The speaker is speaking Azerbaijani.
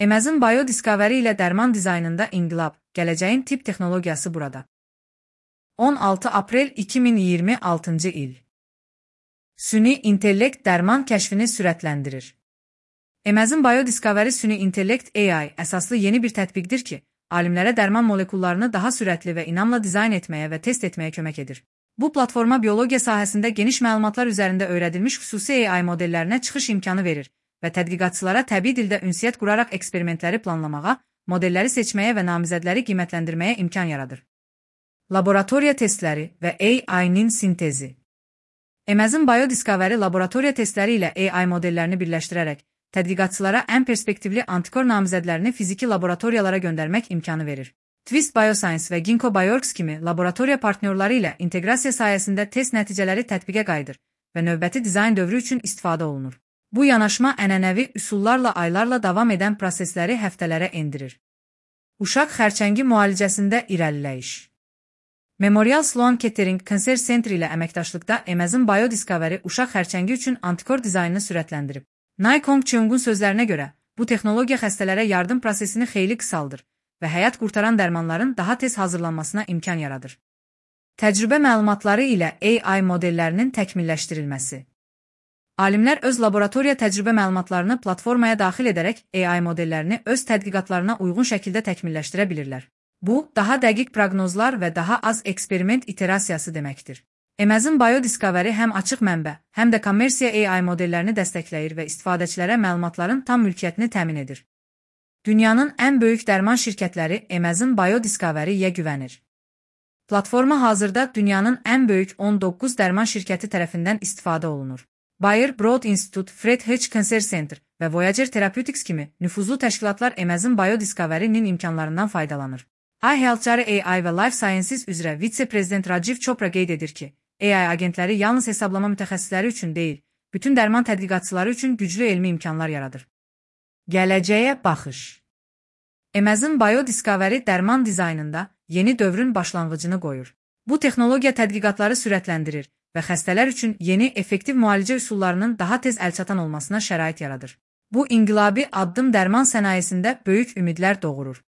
Amazon Biodiscovery ilə dərman dizaynında inqilab, gələcəyin tibb texnologiyası burada. 16 aprel 2026-cı il. Süni intellekt dərman kəşfini sürətləndirir. Amazon Biodiscovery süni intellekt AI əsaslı yeni bir tətbiqdir ki, alimlərə dərman molekullarını daha sürətli və inamla dizayn etməyə və test etməyə kömək edir. Bu platforma biologiya sahəsində geniş məlumatlar üzərində öyrədilmiş xüsusi AI modellərinə çıxış imkanı verir və tədqiqatçılara təbii dildə ünsiyyət quraraq eksperimentləri planlamağa, modelləri seçməyə və namizədləri qiymətləndirməyə imkan yaradır. Laboratoriya testləri və AI-nin sintezi. Amazon Biodiscovery laboratoriya testləri ilə AI modellərini birləşdirərək, tədqiqatçılara ən perspektivli antikor namizədlərini fiziki laboratoriyalara göndərmək imkanı verir. Twist Bioscience və Ginkgo Bioworks kimi laboratoriya partnyorları ilə inteqrasiya sayəsində test nəticələri tətbiqə qayıdır və növbəti dizayn dövrü üçün istifadə olunur. Bu yanaşma ənənəvi üsullarla aylarla davam edən prosesləri həftələrə endirir. Uşaq xərçəngi müalicəsində irəliləyiş. Memorial Sloan Kettering Cancer Center ilə əməkdaşlıqda Amazon Biodiscovery uşaq xərçəngi üçün antikor dizaynını sürətləndirib. Nai Kong Cheung'un sözlərinə görə, bu texnologiya xəstələrə yardım prosesini xeyli qısaldır və həyat qurtaran dərmanların daha tez hazırlanmasına imkan yaradır. Təcrübə məlumatları ilə AI modellərinin təkmilləşdirilməsi. Alimlər öz laboratoriya təcrübə məlumatlarını platformaya daxil edərək AI modellərini öz tədqiqatlarına uyğun şəkildə təkmilləşdirə bilirlər. Bu, daha dəqiq proqnozlar və daha az eksperiment iterasiyası deməkdir. Amazon Biodiscovery həm açıq mənbə, həm də kommersiya AI modellərini dəstəkləyir və istifadəçilərə məlumatların tam mülkiyyətini təmin edir. Dünyanın ən böyük dərman şirkətləri Amazon Biodiscovery-yə güvənir. Platforma hazırda dünyanın ən böyük 19 dərman şirkəti tərəfindən istifadə olunur. Bayer Broad Institute, Fred Hutch Cancer Center və Voyager Therapeutics kimi nüfuzlu təşkilatlar Amazon Biodiscovery-nin imkanlarından faydalanır. iHealthcare AI və Life Sciences üzrə vitse-prezident Rajiv Chopra qeyd edir ki, AI agentləri yalnız hesablama mütəxəssisləri üçün deyil, bütün dərman tədqiqatçıları üçün güclü elmi imkanlar yaradır. Gələcəyə baxış. Amazon Biodiscovery dərman dizaynında yeni dövrün başlanğıcını qoyur. Bu texnologiya tədqiqatları sürətləndirir və xəstələr üçün yeni, effektiv müalicə üsullarının daha tez əlçatan olmasına şərait yaradır. Bu inqilabi addım dərman sənayesində böyük ümidlər doğurur.